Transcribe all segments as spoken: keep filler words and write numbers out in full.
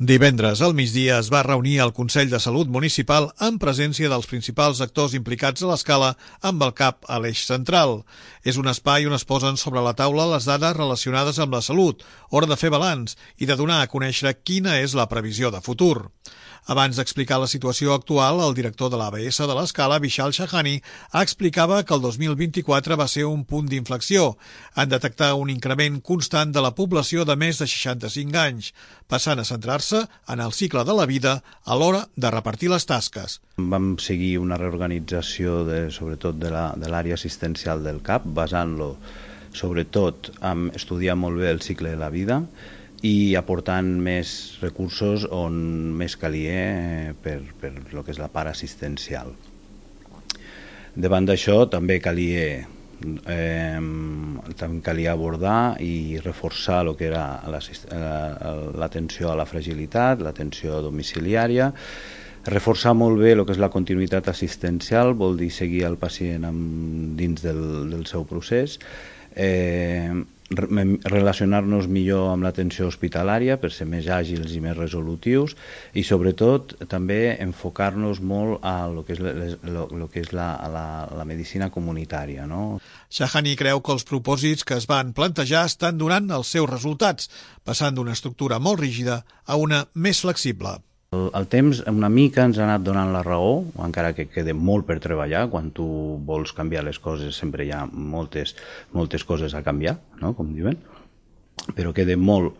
Divendres al migdia es va reunir el Consell de Salut Municipal en presència dels principals actors implicats a l'escala amb el cap a l'eix central. És un espai on es posen sobre la taula les dades relacionades amb la salut, hora de fer balanç i de donar a conèixer quina és la previsió de futur. Abans d'explicar la situació actual, el director de l'A B S de l'escala, Vishal Shahani, explicava que el dos mil vint-i-quatre va ser un punt d'inflexió en detectar un increment constant de la població de més de seixanta-cinc anys, passant a centrar-se en el cicle de la vida a l'hora de repartir les tasques. Vam seguir una reorganització de, sobretot de l'àrea assistencial del C A P, basant-lo sobretot en estudiar molt bé el cicle de la vida i aportant més recursos on més calia per, per el que és la part assistencial. Davant d'això també calia, eh, també calia abordar i reforçar el que era l'atenció a la fragilitat, l'atenció domiciliària, reforçar molt bé el que és la continuïtat assistencial, vol dir seguir el pacient amb, dins del, del seu procés, eh, relacionar-nos millor amb l'atenció hospitalària per ser més àgils i més resolutius i sobretot també enfocar-nos molt a lo que és, lo, lo que és la, la, la medicina comunitària, no? Shahani creu que els propòsits que es van plantejar estan donant els seus resultats, passant d'una estructura molt rígida a una més flexible. El, el temps una mica ens ha anat donant la raó, encara que queda molt per treballar. Quan tu vols canviar les coses sempre hi ha moltes, moltes coses a canviar, no? Com diuen, però queda molt,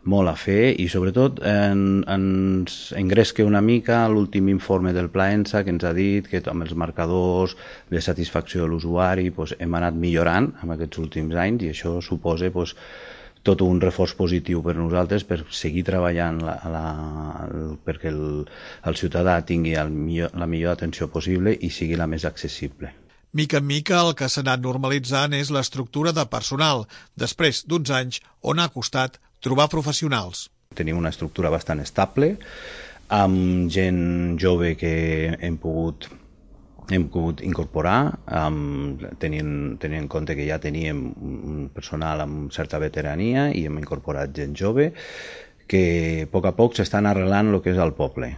molt a fer i sobretot en, ens engresca una mica l'últim informe del Pla ENSA que ens ha dit que amb els marcadors de satisfacció de l'usuari pues, hem anat millorant en aquests últims anys i això suposa pues, tot un reforç positiu per nosaltres per seguir treballant la, la, perquè el, el ciutadà tingui el millor, la millor atenció possible i sigui la més accessible. Mica en mica el que s'ha anat normalitzant és l'estructura de personal, després d'uns anys on ha costat trobar professionals. Tenim una estructura bastant estable, amb gent jove que hem pogut hem pogut incorporar, um, tenint, tenint en compte que ja teníem un personal amb certa veterania i hem incorporat gent jove que a poc a poc s'estan arrelant el que és el poble.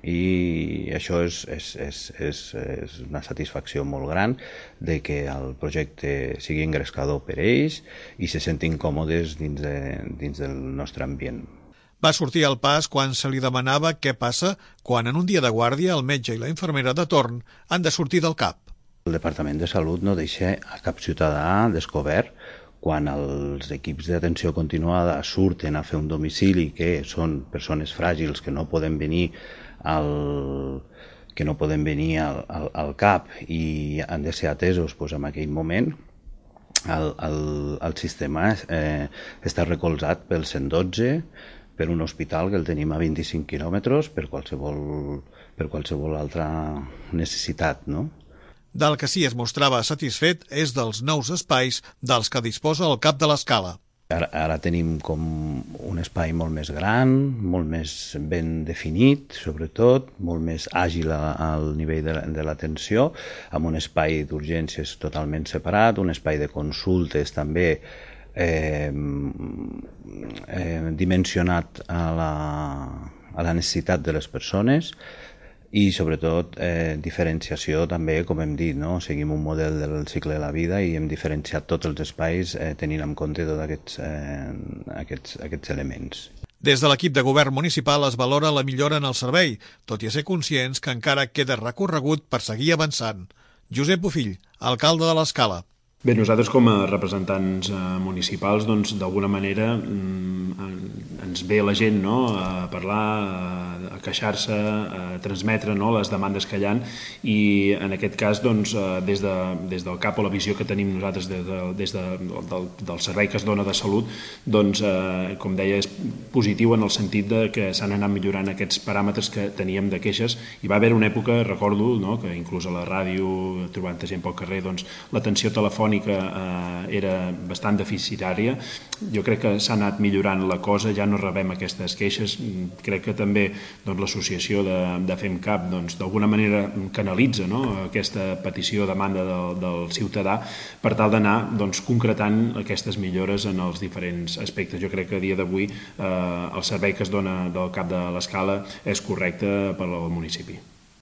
I això és, és, és, és, és una satisfacció molt gran de que el projecte sigui engrescador per ells i se sentin còmodes dins, de, dins del nostre ambient. Va sortir al pas quan se li demanava què passa quan en un dia de guàrdia el metge i la infermera de torn han de sortir del C A P. El Departament de Salut no deixa a cap ciutadà descobert quan els equips d'atenció continuada surten a fer un domicili que són persones fràgils que no poden venir al, que no poden venir al, al, al C A P i han de ser atesos doncs, en aquell moment. El, el, el sistema eh, està recolzat pel cent dotze, per un hospital que el tenim a vint-i-cinc quilòmetres per qualsevol, per qualsevol altra necessitat, no? Del que sí es mostrava satisfet és dels nous espais dels que disposa el cap de l'escala. Ara, ara tenim com un espai molt més gran, molt més ben definit, sobretot, molt més àgil al nivell de l'atenció, amb un espai d'urgències totalment separat, un espai de consultes també Eh, eh, dimensionat a la, a la necessitat de les persones i sobretot eh, diferenciació també, com hem dit, no? Seguim un model del cicle de la vida i hem diferenciat tots els espais eh, tenint en compte tots aquests, eh, aquests, aquests elements. Des de l'equip de govern municipal es valora la millora en el servei, tot i ser conscients que encara queda recorregut per seguir avançant. Josep Bofill, alcalde de l'Escala. Bé, nosaltres com a representants eh, municipals, doncs, d'alguna manera mm, ens ve la gent, no?, a parlar, a, a queixar-se, a transmetre, no?, les demandes que hi ha i en aquest cas, doncs, eh, des, de, des del C A P o la visió que tenim nosaltres des, de, des de, del, del servei que es dona de salut, doncs, eh, com deia, és positiu en el sentit de que s'han anat millorant aquests paràmetres que teníem de queixes. Hi va haver una època, recordo, no?, que inclús a la ràdio, trobant gent pel carrer, doncs, l'atenció telefònica telefònica eh, era bastant deficitària. Jo crec que s'ha anat millorant la cosa, ja no rebem aquestes queixes. Crec que també doncs, l'associació de, de FemCap doncs, d'alguna manera canalitza, no?, aquesta petició o demanda del, del ciutadà per tal d'anar doncs, concretant aquestes millores en els diferents aspectes. Jo crec que a dia d'avui eh, el servei que es dona del cap de l'Escala és correcte per al municipi.